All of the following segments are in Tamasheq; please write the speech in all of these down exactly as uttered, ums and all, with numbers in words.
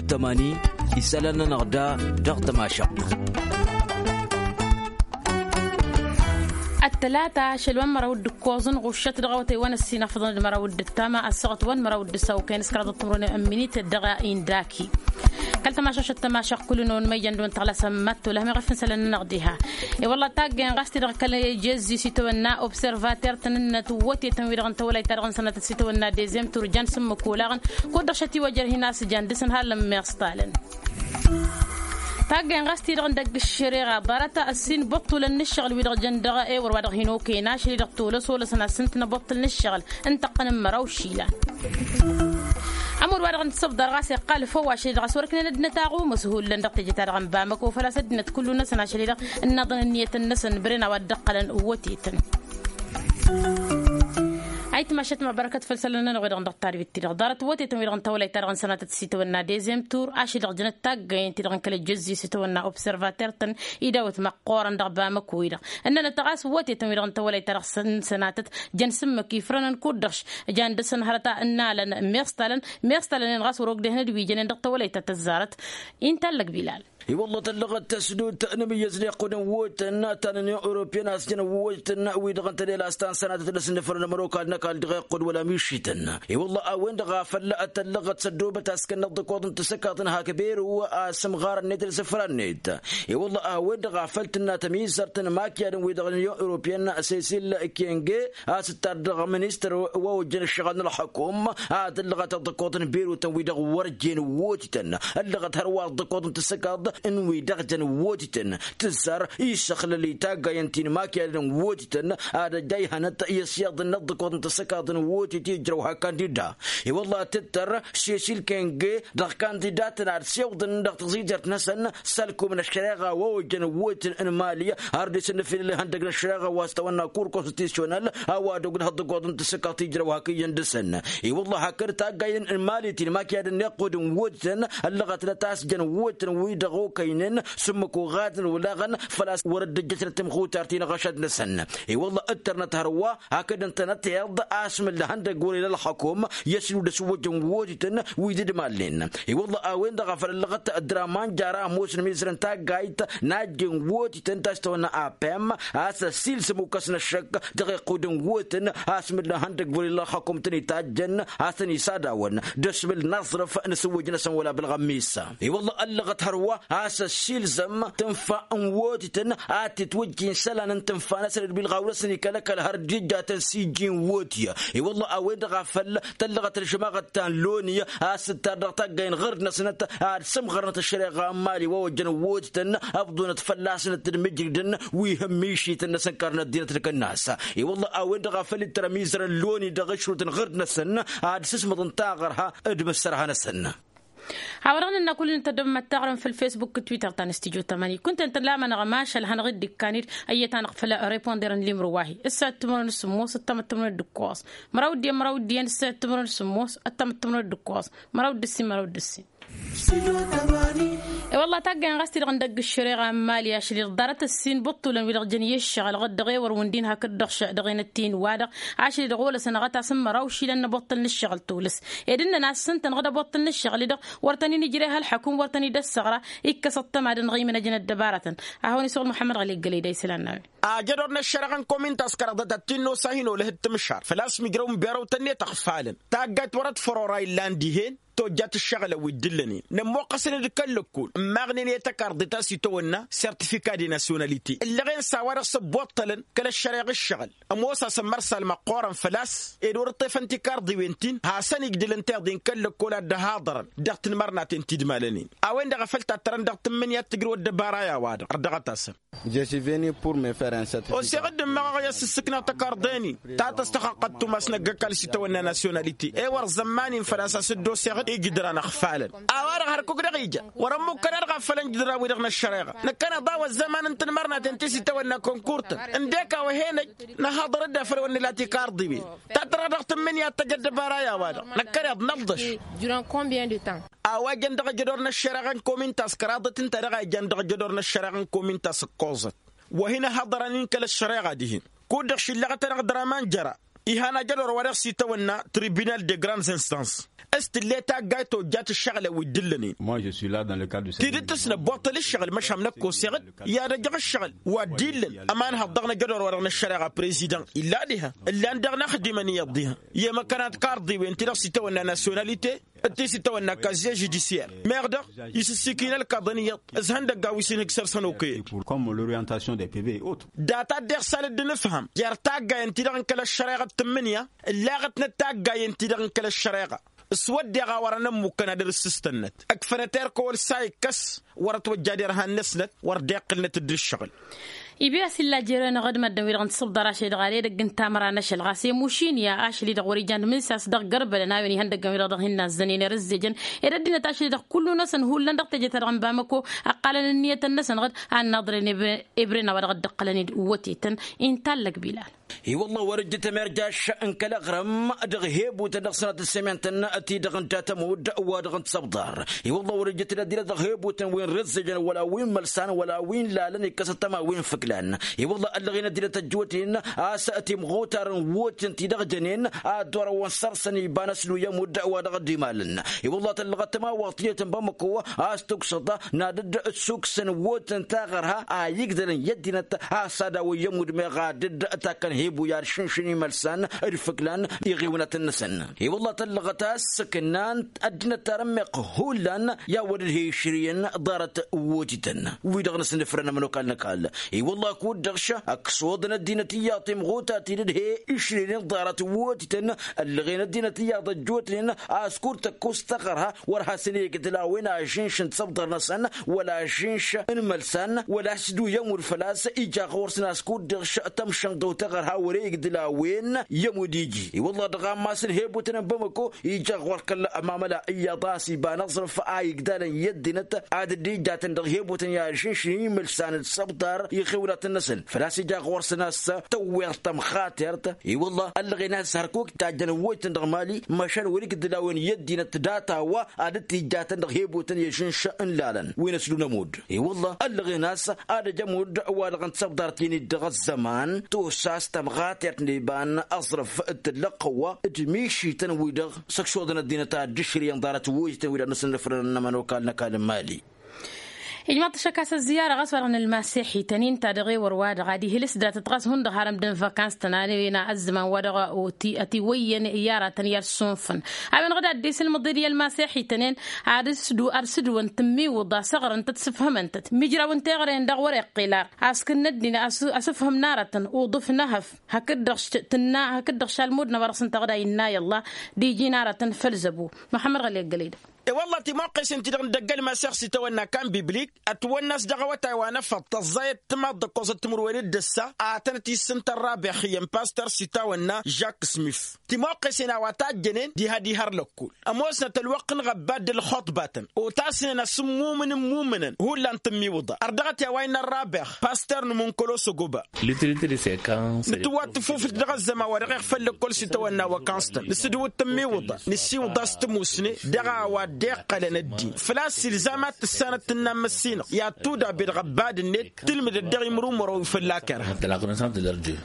Tămani isălan-nănăɣ da dăɣ-tămašăɣt. Ăttălata ašăl wa n-măraw d-ǝkkoẓ n-ɣuššăt dăɣ-awătay wa n-ăssinăfḍăn d-măraw d-ǝttama ăssaɣăt wa n-măraw d-ǝssaw kăyăn s-kăraḍăt timrăwnen n-minit dăɣ-indaki. Kăl-tămašašăt tămašăɣ kull-năwăn măyyan d-wăn tăɣlasăm mătto lăhmăɣ efăn isălan-nănăɣ diha. I-wălla taggăyăn ɣas-t-i-dăɣ kăl-jăzzi s-itawănna observater-tăn n-inăt wătetăn-wi-dăɣ n-tawălayt-ta-dăɣ n-sănatăt s-itawănna dezem tur jan s-ǝmmǝk olaɣăn kud-dăɣ šătiwăjăr hin-asǝjan dăr-săn hallăn meɣstalăn. Taggăyăn ɣas-t-i-dăɣ n-dăgg-ǝššăreɣa ḍarăt ăssin băṭṭulăn n-ǝššăɣǝl-wi-dăɣ jăn dăɣ-ewăr wa dăɣ-hin-okăyăn ašăl-i-dăɣ tolăs olăsăn ad-sǝntnăbăṭṭǝl n-ǝššăɣǝl n-tăqqăn n-măraw išilan. Ămudd wa dăɣ-nǝssăbḍar ɣas iqqal făw ašăl-i-dăɣ a-s wăr ǝknen ăddinăt aɣumas hullan dăɣ-teje-ta-dăɣ n-bamăko făl-a-s ăddinăt kullu-năsăn ašăl-i-dăɣ ǝnnaḍăn ǝnniyătăn-năsăn băren a-wa dd-ăqqălăn wătetăn. Ayǝtmašăt măbărkăt făll-isălan-nănăɣ-wi-dăɣ dăɣ-tadbit-ti-dăɣ ḍarăt wătetăn-wi-dăɣ n-tawălayt-ta-dăɣ n-sănatăt s-itawănna dezem tur ašăl-i-dăɣ jănăt taggăyen-ti-dăɣ n-kăl-ăjjăzzi s-itawănna observater-tăn idawăt măqqoorăn dăɣ-bamăko-wi-dăɣ ǝnnănăt ɣas wătetăn-wi-dăɣ n-tawălayt-ta-dăɣ s-sănatăt jăn s-ǝmmǝk ifrănăn kud-dăɣ jan dăr-săn hărăt a ǝnnalăn meɣstalăn meɣstalăn-en ɣas wăr-ogdehăn d-wi jănen dăɣ-tawălayt ta tăzzarăt. Inta ăllăg bilal. I-wălla tăllăɣăt tăsdut n-amǝyyăz n-iqqud n-wotăn ta n-unyon europeyăn a-s jăn wotăn wi-dăɣ n-tălel a-s ta n-sănatăt n-asǝnnǝfrăn n-ămănokal n-ăkall dăɣ-iqqud wăla mišităn. I-wălla a-wen-dăɣ a făl tăllăɣăt s-ăddoobăt a-s kănnăɣ d-ǝkkoḍ n-tasǝkkaḍt n-hak beru a-s ǝmɣar-net d-isǝfra-net. I-wălla a-wen-dăɣ a făl tǝnna tămizărt n-imakyadăn wi-dăɣ n-unyon europeyăn sesil kenge a-s ǝttar dăɣ-ministăr wa ojjăn ǝššăɣǝl n-ălxăkum. A tǝllăɣăt ăḍḍăkkoḍ n-berutăn wi-dăɣ wăr jen wotităn ăllăɣăt hărwa ăḍḍăkkoḍ n-tasǝkkaḍt n-wi-dăɣ jăn wotităn tǝzzar isăxlăl i-taggayăn ti n-imakyadăn wotităn. Ad-ăjjayhănăt i-ăsyaḍăn n-ăḍḍăkkoḍ n-tasǝkkaḍt n-wotit ijrăw hak kandida. I-wălla tǝttăr sesil kenge dăɣ-kandidatăn ad-sewḍăn dăɣ-taẓijert-năsăn s-ălkum n-ăššăreɣa wa ojjăn wotităn n-mali. Har dd-isǝnnǝfilǝl ihăndăg n-ăššăreɣa wa s-tawănna kur konstitisyonal a-wa dăɣ-dd-hăḍḍăggoḍ n-tasǝkkaḍt ijrăw hak iyyăn dăr-săn. I-wălla hakd taggayăn n-mali ti n-imakyadăn n-iqqud n-wotităn ăllăɣătnăt a-s jăn wotităn wi-dăɣ okăynen s-ǝmmǝk oɣadăn olaɣăn făl-a-s wăr dd-ăjjătnăt timxutart-i n-aɣăšad-năsăn. I-wălla ǝttărnăt hărwa hakd ǝntănăteḍ a-s mǝlla ihăndăg wăr-ila ălxăkum i-ăsǝlud ăswăjjăn wotităn wi dd-malen. I-wălla a-wen-dăɣ a făl ăllăɣăt draman jara ămoosăn mizărăn taggayt n-ajjen wotităn ta s-tawănna apem a-s ăssiilsăm ukăs n-ăššăk dăɣ-iqqud n-wotăn a-s mǝlla ihăndăg wăr-ila ălxăkum tăn-itajjăn a-s tăn-isadawăn d-ăsmǝl n-aẓrǝf n-asǝwwăj-năsăn wăla bălɣămmisa. I-wălla ăllăɣăt hărwa a-s ăssiilzăm tǝnfa n-wotităn ad-titwǝjjin isălan n-tǝnfa-năsăn d-bilɣaw-năsăn ikăl-ăkall har dd-ijjatăn s-ijji n-wotiyăn. I-wălla a-wen-dăɣ a făl tăllăɣăt ălžămaɣăt ta n-loni a-s tǝttar dăɣ-taggay n-ɣărd-năsnăt ad-sǝmɣărnăt ăššăreɣa n-mali wa ojjăn wotităn ăbḍunăt fălla-snăt d-mǝjridăn wi hǝmmišităn-năsăn karnăt dinăt d-kănnas. I-wălla a-wen-dăɣ a făl ittăr ămizărăn loni dăɣ-išrut n-ɣărd-năsăn ad-sǝsmăḍăn taɣărha d-imǝssărha-năsăn. Hawădăɣ nǝnna kull-in tăddăbăm ad-taɣrăm făll-facebook d-twitter ta n-studyo tămani kunta ǝntăn lamănăɣ mašal hanăɣ-dd-ikkan-dd ăyyăt-anăɣ făll-reponder n-limru wa-hi ǝssa d-timărăn d-sǝmmos ăttam d-timărăn d-ǝkkoẓ măraw d-iyyăn măraw d-iyyăn ǝssa d-timărăn d-sǝmmos ăttam d-timărăn d-ǝkkoẓ măraw d-ǝssin măraw d-ǝssin. I-wălla taggăyăn ɣas-t-i-dăɣ n-dăgg-ǝššăreɣa n-mali ašăl-i-dăɣ ḍarăt ǝssin bǝṭṭulăn wi-dăɣ jăn i-ǝššăɣǝl ɣǝd dăɣ-ewăr wǝndin hakd-dăɣ dăɣ-enăt-in-wa-dăɣ ašăl-i-dăɣ olăsăn ăɣăt-asǝm măraw išilan n-ăboṭṭăl n-ǝššăɣǝl tolăs ed ǝnnăn a-s s-ǝntăn ɣǝd ăboṭṭăl n-ǝššăɣǝl-i-dăɣ wăr tăn-in-ijreh ălxăkum wăr tăn-id-ăssăɣra. Ikkăs ăṭṭăma d-ănɣimăn ăjăn ăddăbarătăn. Ad-hawăn-isuɣǝl muḥămmăd ɣali ǝggălăy d-a isălan n-a-wen. Ajădor n-ăššăreɣa n-komin taskăraḍăt ad-t-in-nosa hin-olăh d-timǝššar făl-a-s mijrăw n-berăw tănnet ăɣfalăn taggayt wăr-ăḍfăr ora illan dihen tojjat ǝššăɣǝlăn wi dd-ǝllănen nămmoqqăsăn-dd kăl-lăkkol ǝmmaɣnen i-tăkarḍit a-s itawănna sertifika de nasyonalite ǝllăɣen s-a-wa-dăɣ s-ăbboṭṭălăn kăl-ăššăreɣ ǝššăɣǝl. Ămoos-asăn mărsal măqqoorăn făl-a-s ed wăr-ǝṭṭefăn tikarḍiwen-tin hasăn-ijdǝlăn tiḍin kăl-lăkkol ad-dd-ăhaḍărăn dăɣ-tinmărnaten ti dd-malănen. A-wen-dăɣ a făl tattărăn dăɣ-tǝmmǝnǝya d-tǝjrǝw ăddăbara i-a-wa-dăɣ ărdăɣăt-asăn. Oseɣ-dd ǝmmăɣăɣ i-ad-sǝssǝknăɣ tăkarḍe-nin ta tăstăxănqăt tumas n-ăgg-ăkall s-itawănna nasyonalite ewăr zămman-in făl-a-s a-s dd-oseɣ-dd ijǝdran ăɣfalăn. A-wa-dăɣ hărkuk dăɣ-ija wăr-ămmukkăd a-dăɣ a făl ănjǝdran-wi-dăɣ n-ăššăreɣa năkkăneḍ a-wăzzăman n-tinmărnaten ti s-itawănna kănkurt ǝndek a-wa hen-ăj nǝhaḍăr-dd afăl wăr nǝla tikarḍiwen. Tattăra dăɣ-tǝmmǝnǝya ad-tăj ăddăbara i-a-wa-dăɣ năkkăneḍ nălḍăš. A-wa jăn dăɣ-ajădor n-ăššăreɣa n-komin taskăraḍăt ǝnta-dăɣ a ijan dăɣ-ajădor n-ăššăreɣa n-komin taskăẓăt wa hin-ăhaḍărăn-in kăl-ăššăreɣa dihen. Kud-dăɣ šillăɣăt-anăɣ draman jăra Iha n-ajădor-wa-dăɣ s-itawănna tribunal de grandes instances. S-tǝlle taggayt ojjat ǝššăɣǝlăn wi dd-ǝllănen. Tidǝt tǝsnăbboṭṭăl ǝššăɣǝl măšan năkk oseɣ-dd i-ad-ăjăɣ ǝššăɣǝl wa dd-illăn. Ămanhăḍ dăɣ-năjădor-wa-dăɣ n-ăššăreɣa prezidan illa diha ǝllan daɣ n-axdimăn iyyăḍ diha i-măkkănat karḍiwen-ti-dăɣ s-itawănna nasyonalite. T-s-itawănna kaziye žudisiyar meɣ dăɣ-isǝssikin ălkaḍăn iyyăḍ. S-ihăndăgga wi s-inhǝj săr-săn okăyăt. Data dd-iɣsal dd-nǝfhăm jer-taggayen-ti-dăɣ n-kăl-ăš šăreɣa d-tǝmmǝnǝya ǝllaɣătnăt taggayen-ti-dăɣ n-kăl-ăš šăreɣa. S-wădden a wărăn ămmukkăn ad-dd-ǝssǝstănnăt ǝkfănăt erk ăwăl s-a ikkas wăr-ătwăjja derhan-năsnăt. Wăr-dd-iqqǝlnăt dd-ǝššăɣǝl. Ibi a-s illa jer-enăɣ d-măddǝn-wi-dăɣ n-tisǝbḍar ašăl-i-dăɣ ăre edăgg n-tamăra n-ašăl ɣas i-mušin i-ašăl-i-dăɣ wăr-ijan d-imǝnsas dăɣ-gărbălăn a-wen ihăndăggăn-wi-dăɣ dăɣ-hin-nazzănen irǝzzejăn. Ed ăddinăt ašăl-i-dăɣ kullu-năsăn hullan dăɣ-teje-ta-dăɣ n-bamăko ăqqalăn ǝnniyătăn-năsăn ɣǝd a ǝnnaḍren. Ebren a-wa dăɣ-dd-ǝqqălăn-dd wătetăn. Intallăg bilal. I-wălla wăr-ǝjjǝtăm irjaš n-kăl-aɣrǝm dăɣ-hebutăn dăɣ-sănatăn semintăn ti-dăɣ n-dat-ămudd wa dăɣ-n tisăbḍar. I-wălla wăr-ǝjjǝtăm ăddinăt dăɣ-hebutăn wi n-rǝzzǝjăn wăla wi n-imălsan wăla wi n-lalăn ikkăs ăttăma wi n-fǝklan. I-wălla ăllăɣen ăddinăt ăjjootnen a-s timɣutar n-wotǝn ti-dăɣ jănen ad-dd-orăwăn săr-săn iba n-ăslu i-ămudd wa dăɣ-dd-imalăn. I-wălla tăllăɣăt tămawăɣt tiyyăt n-bamăko a-s tuksăḍ n-ad-dd-ǝssuksăn wotǝn taɣărha a igdălăn i-ăddinăt a-s ad-awǝyyăm udmeɣ ad-dd-takkăn hebu i-ad-šǝnšǝn imălsan d-fǝklan iɣiwǝnătăn-năsăn. I-wălla tăllăɣăt a-s s-kǝnnan ăddinăt tarămmeɣt hullan i-awăd ǝdhe išrǝyăn ḍarăt wotităn wi-dăɣ nǝsnǝfrăn ămănokal n-ăkall. I-wălla kud-dăɣ š-ăksoḍăn ăddinăt iyyăḍ timɣutat-i d-ǝdhe išrǝyăn ḍarăt wotităn. Ăllăɣen ăddinăt iyyăḍ ăjjootnen a-s kud-tăkkost taɣărha wăr hasăn-igdǝl a-wen ažǝnš n-tisăbḍăr-năsăn wăla ažǝnš n-imălsan wăla a-s dd-uyyăm wăr făl-a-s ija ɣur-săn a-s kud-dăɣ š-tămšănḍăw taɣărha wăr-igdǝl a-wen i-ămudd iji. I-wălla dăɣ-ammas n-hebutăn n-bamăko ija ɣur-kăl-mamăla iyyăḍ a-s iba n-aẓrǝf a igdalăn i-ăddinăt ad-dd-ijatăn dăɣ-hebutăn i-ažǝnš n-imǝlsan d-săbḍar iɣiwǝnătăn-năsăn făl-a-s ija ɣur-săn a-s tăwweḍ tămxatert. I-wălla ăllăɣen a-s hărkuk tajjăn ăwwăytăn dăɣ-mali măšan wăr-igdǝl a-wen i-ăddinăt data-wa ad-dd-tijjatăn dăɣ-hebutăn i-ažǝnš n-lalăn wi n-ăslu n-ămudd. I-wălla ăllăɣen a-s ad-ăj ămudd wa dăɣ-n tisăbḍart-in-dd dăɣ-ăzzăman tosa a-s tămɣatert n-iba n-aẓrǝf d-tǝllăɣ-tăwwa d-mišităn-wi-dăɣ s-ăkšoḍăn ăddinăt ad-dd-išrǝyăn ḍarăt wejtăn wi-dăɣ nǝsǝnnǝfrăn n-ămănokal n-ăkall n-mali. Ijmaḍ-t ašăk a-s ăzziyara ɣas wa-dăɣ n-ălmasex ităn-in ta dăɣ-ewăr-wa-dăɣ ad-ihǝlǝs datăt ɣas hundăɣ harăm d-n-vakans-tăn a-wen a ăzzăman wa-dăɣ ătiwăyyăn i-aratăn i-ad-sunfăn. A-wen-dăɣ d-ad-dd-isǝlmǝḍ-dd i-ălmasex-ităn-en ad-sǝdǝwăn tǝmmiwǝḍa s-ăɣrǝntăt s-ǝfhǝmăn-tăt mijraw n-teɣăre-en-dăɣ wăr-iqqel ar. Asǝkǝnnă ăddin asǝfhǝm n-aratăn uḍǝf n-ehăf hakd-dăɣ tǝnna hakd-dăɣ šalmud n-a-wa-dăɣ s-ǝnta ɣǝd a innă i-ăllah d-iji n-aratăn făll-zăbu. Muḥămmăd ɣăli ăggălăy-dăɣ. I-wălla timăqqesen-ti-dăɣ n-dăgg-ălmasex s-itawănna kan biblik ătwănn'-as dăɣ-awătay wa n-efăḍ tăẓẓayăt timaḍt d-ǝkkoẓăt timǝrwen d-ǝssa. Ad-tănăt-issǝnta ărrabex iyyăn pastăr s-itawănna žak smif. Timăqqesen a-wa tajjănen diha diha ărlăkkul ămoosnăt ălwăqq n-iɣăbbad d-ălxuṭbatăn otasnen asǝmmumǝn n-imumǝnăn hullan tǝmmiwǝḍa. Ărdăɣăt i-a-wa innă ărrabex pastăr n-imǝnkăl osăgoba. Nǝtǝwwăt tǝfufǝlt dăɣ-ăzzăman wa dăɣ-iɣfăl lăkkol s-itawănna wăkanstăn nǝsǝdǝwǝt tǝmmiwǝḍa nǝsiwǝḍ a-s tǝmusne. Dăɣ-a-wa dd-iqqălăn ăddin făl-a-s ilzam ad-tǝssanăt tǝnna n-măssinăɣ i-ad-tuda be dăɣ-ăbbad-net tǝlmǝdăt dăɣ-imrumărăw fălla-kăra.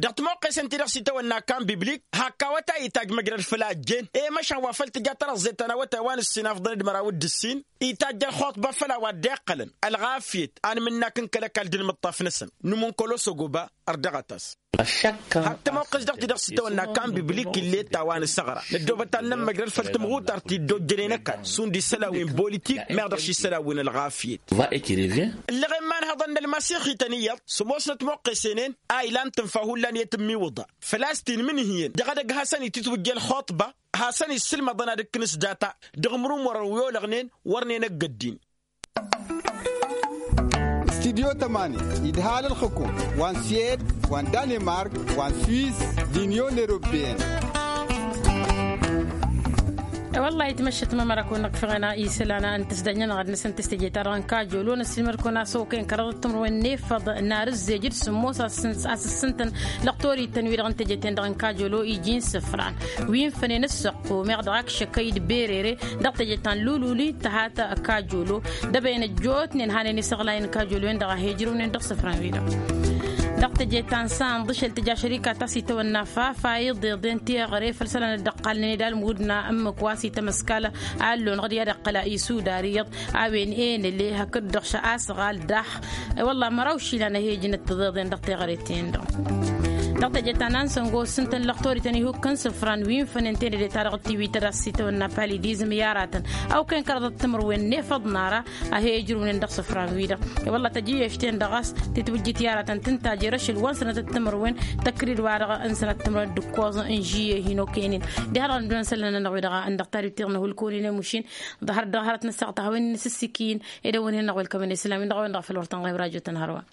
Dăɣ-timoqqesen-ti-dăɣ s-itawănna kan biblik hak awătay itajj măjrăd făll-ajjen i-măšan wa făl tǝja tărăẓẓet ta n-awătay wa n-ǝssin afḍăn d-măraw d-ǝssin itajj ălxuṭba făll-a-wa dd-iqqălăn ălɣafyăt anmǝnnak n-kăl-ăkall d-inmǝṭṭaf-năsăn. Nǝmunkăl osăgoba ărdăɣăt-as. Hak tămoqqes dăɣ-ti-dăɣ s-itawănna kan biblik ill'-e ta wa n-asăɣra năddoobăt ad-nămmăjrăd făll-tămɣutart ti dd-ojjănen ăkall šund isălan wi n-bolitik meɣ dăɣ-š isălan wi n-ălɣafyăt. Ǝllăɣen imanhăḍăn n-ălmasixităn iyyăḍ s-ămoosnăt moqqesen-en a ilan tǝnfa hullan i-tǝmmiwǝḍa făl-a-s tinmǝnhǝyăn dăɣ-edăgg hasăn-itǝtwǝjja ălxuṭba. Hasăn-issǝlmăḍăn ad-ǝkkǝn s-data dăɣ-imrumărăn wi olăɣnen wărnen ăgg-ăddin. Studyo tămani idhal ălxǝkum wa n-swed wa n-danemark wa n-swiss d-inyon europeyăn. Wăllah itmăššăt mămăra kăwăn-năkk făɣena isălan n-tǝsdăj-nănăɣ ad-năsăn tǝstăje-ta-dăɣ n-kajolo năssilmăd-kăwăn-asăwăkăyăn kăraḍăt timǝrwen n-efăḍ n-arǝzzej d-sǝmmos a-s ǝssǝntăn lăqtor-ităn wi-dăɣ n-teje-ten-dăɣ n-kajolo iji n-isǝfran wi n-fănen ǝssăqqu meɣ dăɣ-akšăkăy d-berere dăɣ-teje ta n-lululi tăhat kajolo. Dăbăyăn ăjjootnen hanen isăɣlay n-kajolo-en-dăɣ a he-ǝjrǝwnen dăɣ-isǝfran-wi-dăɣ. Dăɣ-teje ta n-sanḍǝšel tǝja šărika ta s-itawănna fafa iḍeḍen teɣăre făll-isălan dd-ăqqalnen ed almud n-ǝmmǝk wa s-itămăskal allon ɣǝd i-ad-ăqqăla isudar iyyăḍ a-wen enăle hakd-dăɣ šăɣ asăɣal daɣ. I-wălla măraw išilan ăhejăn d-tiḍeḍen dăɣ-teɣăre-ten-dăɣ. Dăɣ-teje ta n-ansăngo s-ǝntăn lăqtor-ităn ihukkăn sǝfran wi n-fănen tenăde-ta-dăɣ d-tiwităd a-s s-itawănna palidizm i-aratăn awken kăraḍăt timǝrwen n-efăḍ n-ara. A he-ijrǝwnen dăɣ-isǝfran-wi-dăɣ. I-wălla tăjjăyyăš-ten-dăɣ a-s titwǝjjǝt i-aratăn tǝntajăr ašăl wa n-sănătăt timǝrwen tăkrid-wa-dăɣ n-sănăt timǝrwen d-ǝkkoẓ n-žiyye hin-okăynen. Diha-dăɣ n-ădduun isălan-nănăɣ-wi-dăɣ a ǝndăɣ tariwt tiḍnă hulkonen i-mušin. Ḍahăr-dd dăɣ-hărăt n-ăssaɣt a hawăn-in n-asǝssikǝyǝn ed ăwwăn-hen-năɣ welkămăn isălan-win-dăɣ a-wen-dăɣ făll-wăr tănɣăyăm rajo-tăn hărwa.